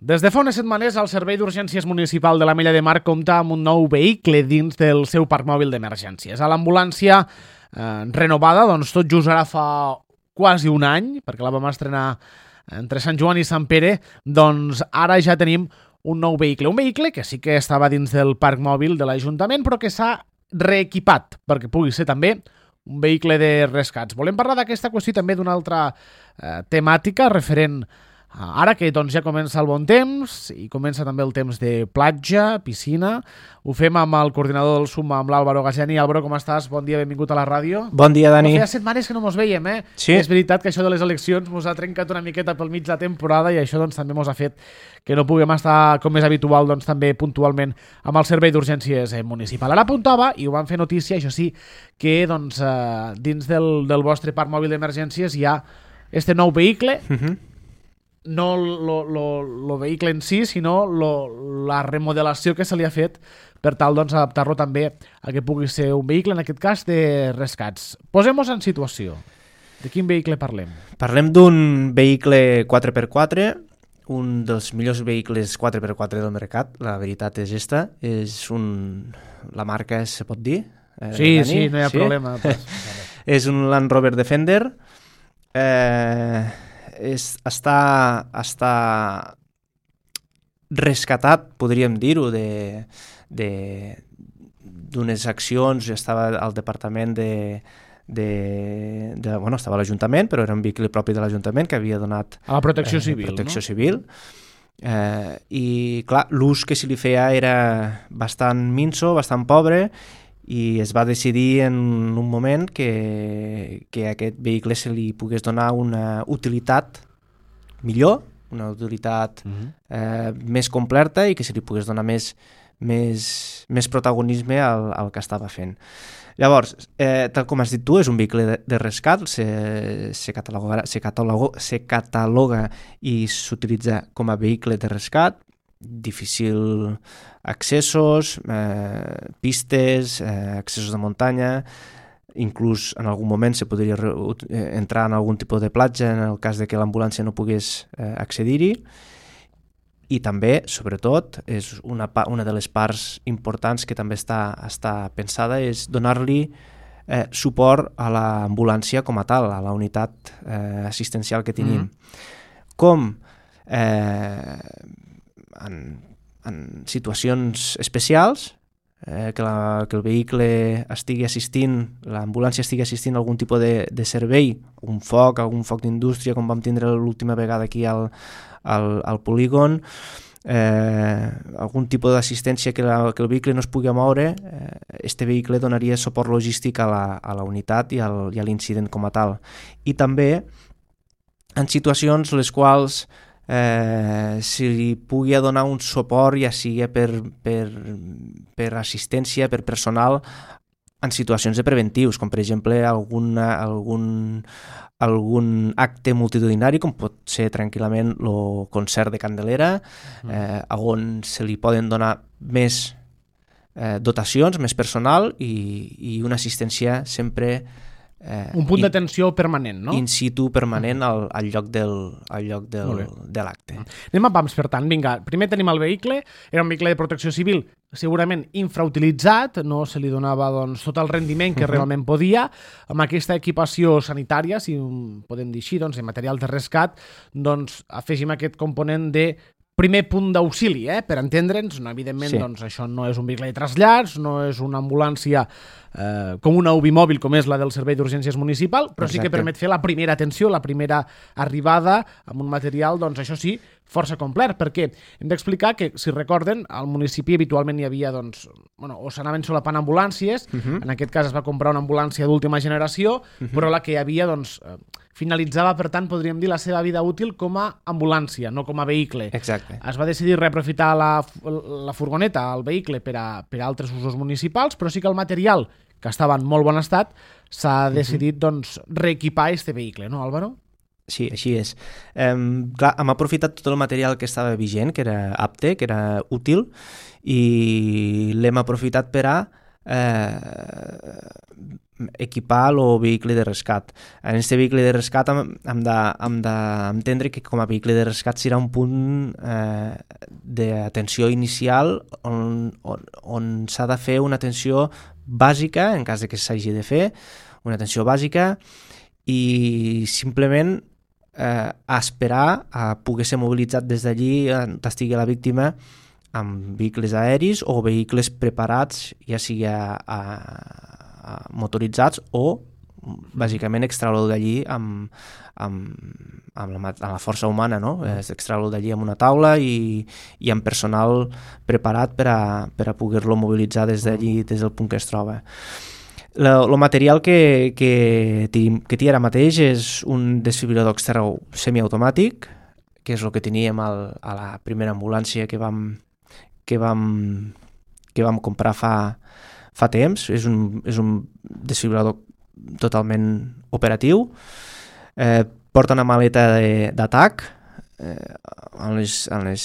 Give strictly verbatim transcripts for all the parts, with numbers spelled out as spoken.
Des de fa unes setmanes, el Servei d'Urgències Municipal de l'Ametlla de Mar compta amb un nou vehicle dins del seu parc mòbil d'emergències. A l'ambulància eh, renovada, doncs tot just ara fa quasi un any, perquè la vam estrenar entre Sant Joan i Sant Pere, doncs ara ja tenim un nou vehicle. Un vehicle que sí que estava dins del parc mòbil de l'Ajuntament, però que s'ha reequipat perquè pugui ser també un vehicle de rescats. Volem parlar d'aquesta qüestió també d'una altra eh, temàtica referent ara que doncs, ja comença el bon temps i comença també el temps de platja, piscina. Ho fem amb el coordinador del SUMA, amb l'Àlvaro Gasiani. Àlvaro, com estàs? Bon dia, benvingut a la ràdio. Bon dia, Dani. No, feia setmanes que no mos veiem, eh? Sí. És veritat que això de les eleccions mos ha trencat una miqueta pel mig de la temporada i això doncs, també mos ha fet que no puguem estar, com és habitual, doncs, també puntualment amb el Servei d'Urgències Municipal. Ara apuntava, i ho van fer notícia, això sí, que doncs, eh, dins del, del vostre parc mòbil d'emergències hi ha este nou vehicle, Uh-huh. no el vehicle en si, sinó lo, la remodelació que se li ha fet per tal doncs, adaptar-lo també a que pugui ser un vehicle, en aquest cas, de rescats. Posem-nos en situació. De quin vehicle parlem? Parlem d'un vehicle quatre per quatre, un dels millors vehicles quatre per quatre del mercat, la veritat és esta. És un... La marca se pot dir? Eh, Sí, Dani? sí, no hi ha problema. Pues, És un Land Rover Defender. Eh, és, està, està rescatat, podríem dir-ho, de, de, d'unes accions. Estava al departament de... De, de, bueno, estava a l'Ajuntament, però era un vehicle propi de l'Ajuntament que havia donat a la protecció eh, civil, protecció no? civil. Eh, i clar, l'ús que se li feia era bastant minso, bastant pobre, i es va decidir en un moment que, que a aquest vehicle se li pogués donar una utilitat millor, una utilitat Uh-huh. eh, més completa i que se li pogués donar més, més, més protagonisme al, al que estava fent. Llavors, eh, tal com has dit tu, és un vehicle de, de rescat, se, se, cataloga, se, cataloga, se cataloga i s'utilitza com a vehicle de rescat, difícil accessos, eh, pistes, eh, accessos de muntanya, inclús en algun moment se podria re, eh, entrar en algun tipus de platja en el cas de que l'ambulància no pogués eh, accedir-hi. I també, sobretot, és una, una de les parts importants que també està, està pensada, és donar-li eh, suport a l'ambulància com a tal, a la unitat eh, assistencial que tenim. Mm-hmm. Com eh, en, en situacions especials, eh, que, la, que el vehicle estigui assistint, l'ambulància estigui assistint a algun tipus de, de servei, un foc, algun foc d'indústria, com vam tindre l'última vegada aquí al Al, al polígon, eh, algun tipus d'assistència que, la, que el vehicle no es pugui moure, eh, este vehicle donaria suport logístic a la, a la unitat i, al, i a l'incident com a tal. I també en situacions les quals eh, si li pugui donar un suport, ja sigui per, per, per assistència, per personal, en situacions de preventius, com per exemple alguna, algun, algun acte multitudinari, com pot ser tranquil·lament el concert de Candelera, eh, on se li poden donar més eh, dotacions, més personal i, i una assistència sempre Eh, un punt d'atenció permanent, no? In situ permanent al, al lloc del, al lloc del, de l'acte. Anem a pams, per tant. Vinga, primer tenim el vehicle, era un vehicle de protecció civil segurament infrautilitzat, no se li donava doncs, tot el rendiment que uh-huh. realment podia, amb aquesta equipació sanitària, si podem dir així, doncs, de material de rescat, doncs afegim aquest component de primer punt d'auxili, eh? Per entendre'ns, no, evidentment sí. doncs, això no és un vehicle de trasllats, no és una ambulància eh, com una U B I mòbil com és la del Servei d'Urgències Municipal, però Exacte. Sí que permet fer la primera atenció, la primera arribada amb un material, doncs això sí, força complet, perquè hem d'explicar que, si recorden, al municipi habitualment hi havia, doncs, bueno, o s'anaven solapant ambulàncies, uh-huh. en aquest cas es va comprar una ambulància d'última generació, uh-huh. però la que hi havia, doncs, finalitzava, per tant, podríem dir, la seva vida útil com a ambulància, no com a vehicle. Exacte. Es va decidir reaprofitar la, la furgoneta, el vehicle, per a, per a altres usos municipals, però sí que el material, que estava en molt bon estat, s'ha decidit, uh-huh. doncs, reequipar este vehicle, no, Álvaro? Sí, així és. Um, clar, hem aprofitat tot el material que estava vigent, que era apte, que era útil, i l'hem aprofitat per a eh, equipar el vehicle de rescat. En aquest vehicle de rescat hem, hem d'entendre que com a vehicle de rescat serà un punt eh, d'atenció inicial on, on, on s'ha de fer una atenció bàsica, en cas de que s'hagi de fer, una atenció bàsica, i simplement eh, a esperar a poder ser mobilitzat des d'allí on estigui la víctima amb vehicles aeris o vehicles preparats, ja sigui a, a, a motoritzats o bàsicament extraure'l d'allí amb, amb, amb, la, amb la força humana, no? És extraure'l d'allí amb una taula i, i amb personal preparat per a, per a poder-lo mobilitzar des d'allí, des del punt que es troba. El material que, que, que té ara mateix és un desfibrilador extern semiautomàtic, que és el que teníem al, a la primera ambulància que vam, que vam, que vam comprar fa, fa temps. És un, és un desfibrilador totalment operatiu. Eh, porta una maleta d'atac eh, en les, en les,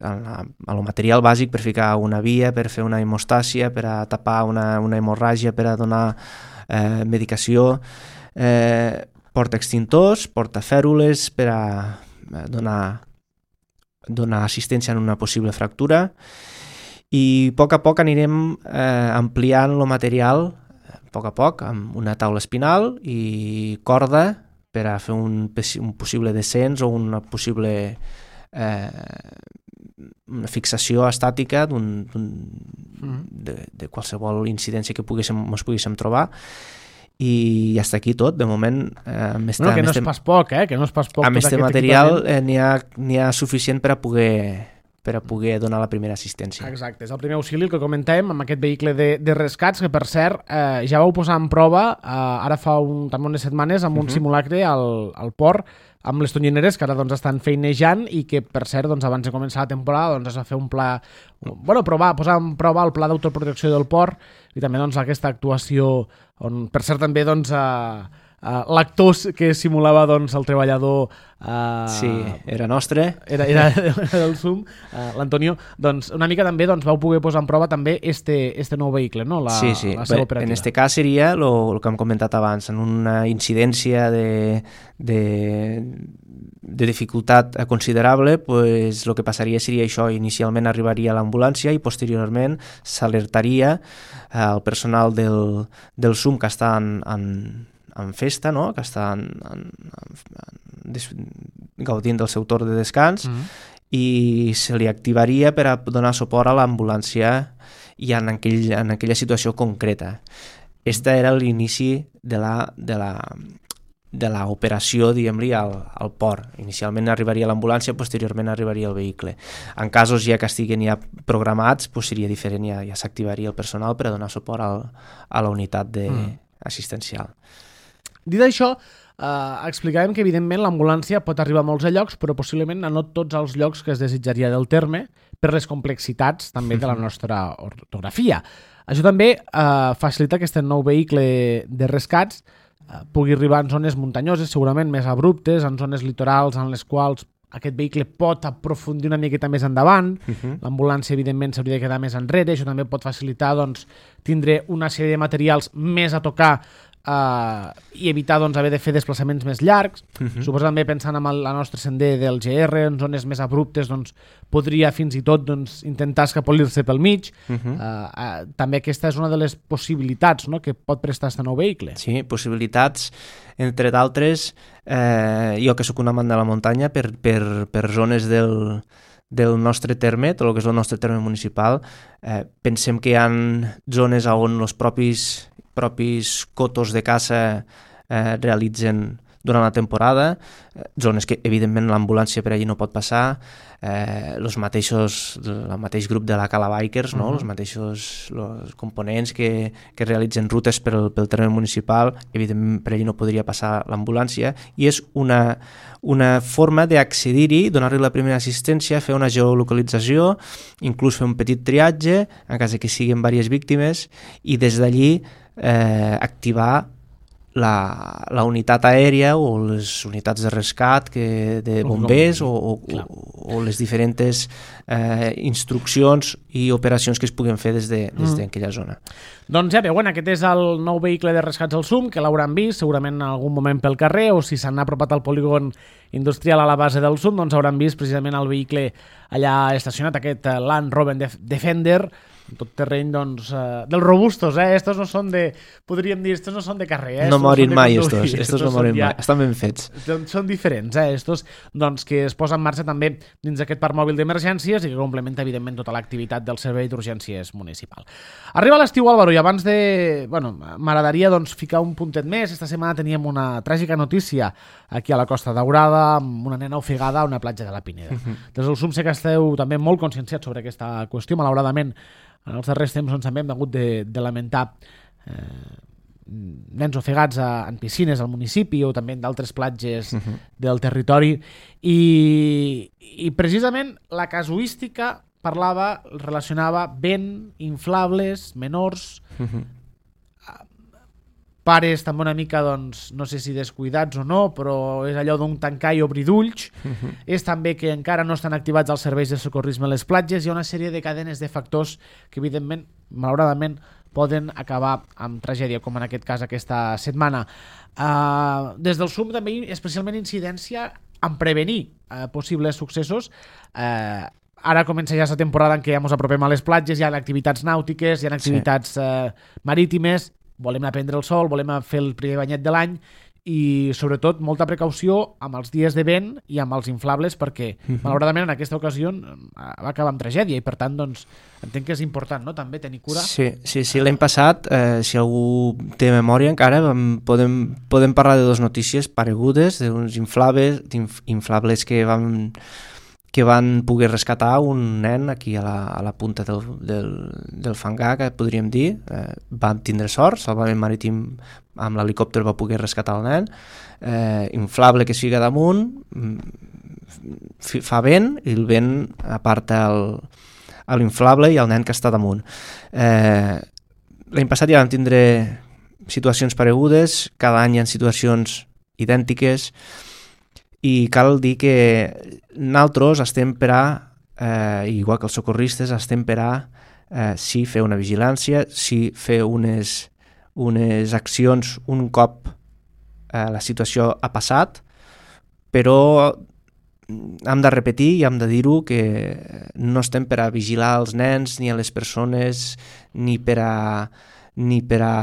en la, en el material bàsic per ficar una via, per fer una hemostàcia, per a tapar una, una hemorràgia, per a donar eh, medicació. Eh, porta extintors, porta fèrules per a donar, donar assistència en una possible fractura, i a poc a poc anirem eh, ampliant el material, a poc a poc, amb una taula espinal i corda per a fer un, un possible descens o una possible eh, una fixació estàtica d'un, d'un, mm. de, de qualsevol incidència que poguéssim, ens poguéssim trobar. I ja està aquí tot, de moment. Eh, amb este, bueno, que no amb és pas poc, eh? Que no és pas poc. Amb aquest material eh, n'hi ha, n'hi ha suficient per a poder per a poder donar la primera assistència. Exacte, és el primer auxili que comentàvem amb aquest vehicle de, de rescats, que per cert eh, ja vau posar en prova eh, ara fa un, també unes setmanes amb un uh-huh. simulacre al, al port amb les tonyineres que ara doncs, estan feinejant i que per cert doncs, abans de començar la temporada doncs, es va fer un pla, bueno, provar, posar en prova el pla d'autoprotecció del port i també doncs, aquesta actuació on per cert també doncs, eh, Uh, l'actor que simulava doncs, el treballador uh, sí, era nostre era, era del S U M, uh, l'Antonio, doncs una mica també doncs, vau poder posar en prova també este, este nou vehicle, no? La, sí, sí. la seva operativa. En este cas seria el que hem comentat abans, en una incidència de, de, de dificultat considerable, pues, el que passaria seria això, inicialment arribaria l'ambulància i posteriorment s'alertaria uh, el personal del, del S U M que està en, en en festa, no? Que està en, en, en, en, gaudint del seu torn de descans mm-hmm. i se li activaria per a donar suport a l'ambulància i en, aquell, en aquella situació concreta. Este era l'inici de la, de la, de la operació, diguem-li, al, al port. Inicialment arribaria l'ambulància, posteriorment arribaria el vehicle. En casos ja que estiguen ja programats, pues seria diferent, ja, ja s'activaria el personal per a donar suport al, a la unitat de, mm. assistencial. Dit això, eh, explicàvem que evidentment l'ambulància pot arribar a molts llocs, però possiblement a no tots els llocs que es desitjaria del terme per les complexitats també de la nostra ortografia. Això també eh, facilita que aquest nou vehicle de rescats eh, pugui arribar en zones muntanyoses, segurament més abruptes, en zones litorals en les quals aquest vehicle pot aprofundir una miqueta més endavant, uh-huh. l'ambulància evidentment s'hauria de quedar més enrere, això també pot facilitar doncs, tindre una sèrie de materials més a tocar Uh, i evitar doncs, haver de fer desplaçaments més llargs. Uh-huh. Suposo també pensant en el nostre sender del G R, en zones més abruptes doncs, podria fins i tot doncs, intentar escapolir-se pel mig. Uh-huh. uh, uh, també aquesta és una de les possibilitats, no?, que pot prestar aquest nou vehicle. Sí, possibilitats, entre d'altres, eh, jo que sóc un amant de la muntanya, per, per, per zones del, del nostre terme, tot el que és el nostre terme municipal, eh, pensem que hi ha zones on els propis propis cotos de caça eh, realitzen durant la temporada, eh, zones que evidentment l'ambulància per allí no pot passar, eh, els mateixos, el mateix grup de la Cala Bikers, no? Uh-huh. Els mateixos los components que, que realitzen rutes pel, pel terme municipal, evidentment per allí no podria passar l'ambulància, i és una, una forma d'accedir-hi, donar-li la primera assistència, fer una geolocalització, inclús fer un petit triatge, en cas que siguin diverses víctimes, i des d'allí eh, activar la, la unitat aèria o les unitats de rescat que, de bombers o, o, o, o les diferents eh, instruccions i operacions que es puguen fer des de, des d'aquella mm. zona. Doncs ja veuen, aquest és el nou vehicle de rescats al S U M, que l'hauran vist segurament en algun moment pel carrer, o si s'han apropat al polígon industrial a la base del S U M, doncs hauran vist precisament el vehicle allà estacionat, aquest Land Rover Defender, tot terreny, doncs, uh, dels robustos, eh? Estos no són de, podríem dir, estos no són de carrer, eh? No morin mai, estos, estos, estos no morin mai, estan ben fets. Són diferents, eh? Estos, doncs, que es posen en marxa també dins d'aquest parc mòbil d'emergències i que complementa, evidentment, tota l'activitat del servei d'urgències municipal. Arriba l'estiu, Álvaro, i abans de... Bueno, m'agradaria, doncs, ficar un puntet més. Esta setmana teníem una tràgica notícia aquí a la Costa Daurada, amb una nena ofegada a una platja de la Pineda. Uh-huh. Des del S U M sé que esteu també molt conscienciats sobre aquesta qüestió, malauradament. En els darrers temps doncs, també hem hagut de, de lamentar eh, nens ofegats a, en piscines al municipi o també en d'altres platges uh-huh. del territori i, i precisament la casuística parlava, relacionava vent, inflables, menors, uh-huh. pares també una mica, doncs, no sé si descuidats o no, però és allò d'un tancar i obrir d'ulls. Uh-huh. És també que encara no estan activats els serveis de socorrisme a les platges. Hi ha una sèrie de cadenes de factors que, evidentment, malauradament, poden acabar amb tragèdia, com en aquest cas aquesta setmana. Uh, des del S U M també, especialment incidència en prevenir uh, possibles successos. Uh, ara comença ja la temporada en què ja ens apropem a les platges, hi ha activitats nàutiques, hi ha activitats sí. uh, marítimes, volem aprendre el sol, volem fer el primer banyet de l'any i, sobretot, molta precaució amb els dies de vent i amb els inflables perquè, uh-huh. malauradament, en aquesta ocasió va acabar amb tragèdia i, per tant, doncs, entenc que és important, no?, també tenir cura. Sí, sí, sí. L'any passat, eh, si algú té memòria encara, podem, podem parlar de dues notícies paregudes, d'uns inflables, inflables que van... que van poder rescatar un nen aquí a la, a la punta del, del, del fangar, que podríem dir. Eh, vam tindre sort, Salvament Marítim amb l'helicòpter va poder rescatar el nen. Eh, inflable que es fica damunt, fa vent, i el vent aparta l'inflable i el nen que està damunt. Eh, l'any passat ja vam tindre situacions paregudes, cada any hi ha situacions idèntiques, i cal dir que nosaltres estem per a, eh, igual que els socorristes, estem per a eh, sí fer una vigilància, sí fer unes, unes accions un cop eh, la situació ha passat, però hem de repetir i hem de dir-ho que no estem per a vigilar els nens ni a les persones ni per a ni per a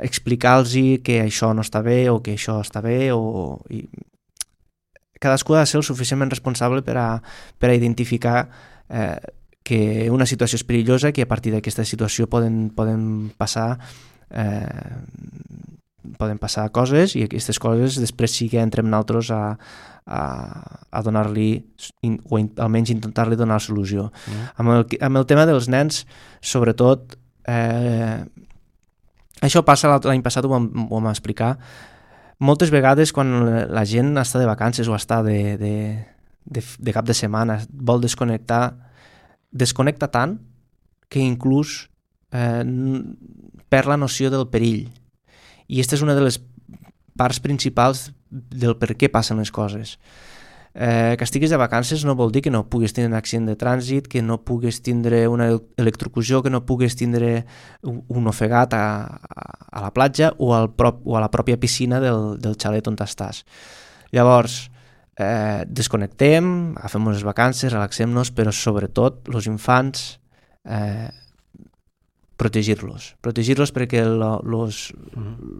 explicar-los que això no està bé o que això està bé o... I, cadascú ha de ser el suficientment responsable per a, per a identificar eh, que una situació és perillosa, que a partir d'aquesta situació poden, poden passar eh, poden passar coses i aquestes coses després sí que entrem nosaltres a, a, a donar-li o in, almenys intentar-li donar solució. Mm. Amb, el, amb el tema dels nens, sobretot eh, això passa l'any passat, ho vam, ho vam explicar. Moltes vegades quan la gent està de vacances o està de, de, de, de cap de setmana, vol desconnectar, desconnecta tant que inclús eh, perd la noció del perill. I aquesta és una de les parts principals del per què passen les coses. Eh, que estiguis de vacances no vol dir que no puguis tindre un accident de trànsit, que no puguis tindre una electrocució, que no puguis tindre un ofegat a, a la platja o, al prop, o a la pròpia piscina del, del xalet on estàs. Llavors, eh, desconnectem, agafem unes vacances, relaxem-nos, però sobretot els infants eh, protegir-los. Protegir-los perquè la, los,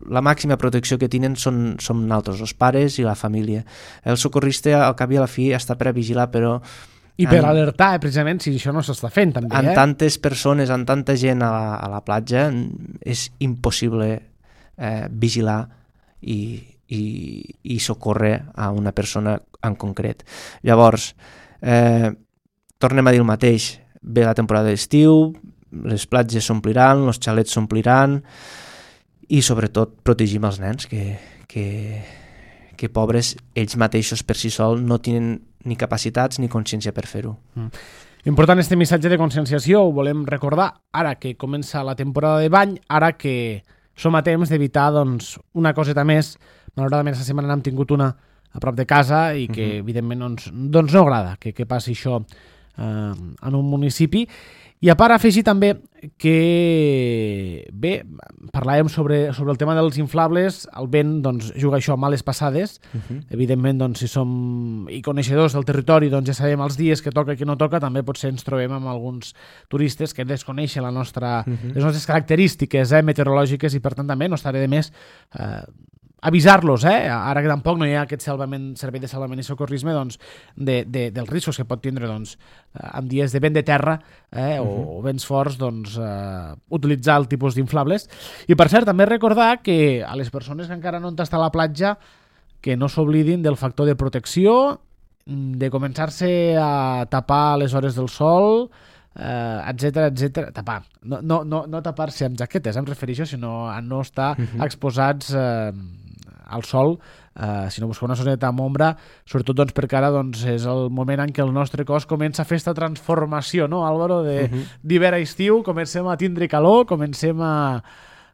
la màxima protecció que tenen són, són nosaltres, els pares i la família. El socorrista, al cap i a la fi, està per a vigilar, però... I per en, alertar, eh, precisament, si això no s'està fent, també. En eh? tantes persones, en tanta gent a la, a la platja, és impossible eh, vigilar i, i, i socórrer a una persona en concret. Llavors, eh, tornem a dir el mateix. Ve la temporada d'estiu, les platges s'ompliran, els xalets s'ompliran i sobretot protegim els nens que, que, que pobres ells mateixos per si sol no tenen ni capacitats ni consciència per fer-ho. Mm. Important este missatge de conscienciació, ho volem recordar ara que comença la temporada de bany, ara que som a temps d'evitar doncs, una coseta més. Malauradament, aquesta setmana n'hem tingut una a prop de casa i que, uh-huh. evidentment, doncs, doncs no agrada que, que passi això eh, en un municipi. I a part, afegir també que, bé, parlàvem sobre, sobre el tema dels inflables, el vent doncs, juga això a males passades. Uh-huh. Evidentment, doncs, si som i coneixedors del territori, doncs ja sabem els dies que toca i que no toca, també potser ens trobem amb alguns turistes que desconeixen la nostra, uh-huh. les nostres característiques eh, meteorològiques i, per tant, també no estaré de més eh, avisar-los, eh? Ara que tampoc no hi ha aquest salvament, servei de salvament i socorrisme, doncs, de, de, dels riscos que pot tindre doncs, en dies de vent de terra eh, uh-huh. o, o vents forts, doncs, eh, utilitzar el tipus d'inflables. I per cert, també recordar que a les persones que encara no han tastat a la platja que no s'oblidin del factor de protecció, de començar-se a tapar les hores del sol, Uh, etcètera, etcètera, tapar no, no, no, no tapar-se amb jaquetes, em refereixo, sinó a no estar uh-huh. exposats uh, al sol, uh, sinó buscar una zoneta amb ombra, sobretot doncs, perquè ara doncs, és el moment en què el nostre cos comença a fer aquesta transformació, no, Álvaro, de, uh-huh. d'hivern a estiu, comencem a tindre calor, comencem a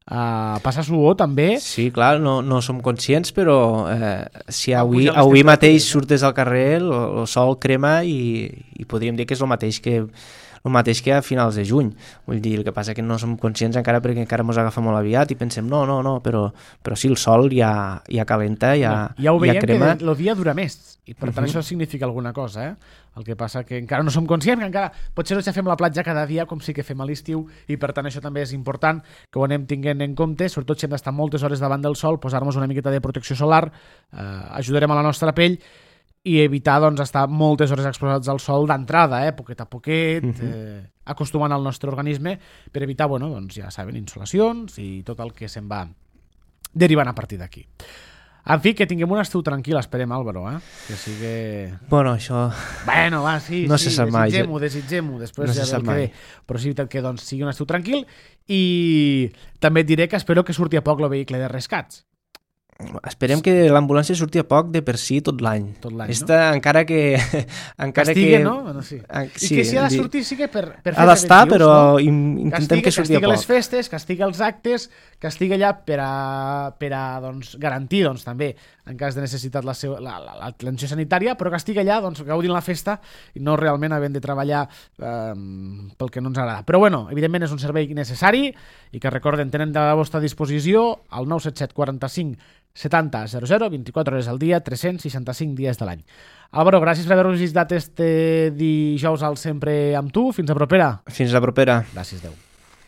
a passar suor també. Sí, clar, no, no som conscients, però eh, si avui, avui mateix surtes al carrer, el, el sol crema i, i podríem dir que és el mateix que el mateix que a finals de juny. Vull dir, el que passa que no som conscients encara perquè encara mos agafa molt aviat i pensem, no, no, no, però, però sí, el sol ja, ja calenta, ja, no, ja ho veiem ja crema. Que el dia dura més i per tant uh-huh. això significa alguna cosa, eh? El que passa que encara no som conscients, que encara potser no ja fem la platja cada dia com sí que fem a l'estiu i per tant això també és important que ho anem tinguent en compte, sobretot si hem d'estar moltes hores davant del sol, posar-nos una miqueta de protecció solar, eh, ajudarem a la nostra pell i evitar doncs, estar moltes hores exposats al sol d'entrada, eh? poquet a poquet, uh-huh. eh, acostumant al nostre organisme per evitar, bueno, doncs, ja saben, insolacions i tot el que se'n va derivant a partir d'aquí. En fi, que tinguem un estiu tranquil, esperem, Álvaro, eh? Que sigui... Bueno, això... Bueno, va, sí, no sí, desitgem-ho, desitgem-ho, després no ja ve el que ve. Però sí que doncs, sigui un estiu tranquil i també et diré que espero que surti a poc el vehicle de rescats. Esperem que l'ambulància surti a poc de per si tot l'any. Tot l'any, Esta, no? Encara que... encara Castigue, que... no? Bueno, sí. En, I sí, que si ha de dir, sortir sí que per, per fer ha d'estar, però no? intentem castiga, que surti a castiga poc. les festes, castiga els actes, castiga allà per a, per a doncs, garantir doncs, també, en cas de necessitat, la seu, la, la, l'atenció sanitària, però castiga allà doncs, gaudint la festa i no realment havent de treballar eh, pel que no ens agrada. Però bueno, evidentment és un servei necessari i que recorden, tenen a la vostra disposició el nou set set quaranta-cinc setanta zero zero, vint-i-quatre hores al dia, tres cents seixanta-cinc dies de l'any. Álvaro, gràcies per haver-nos visitat este dijous al Sempre amb tu. Fins a propera. Fins a propera. Gràcies, Déu.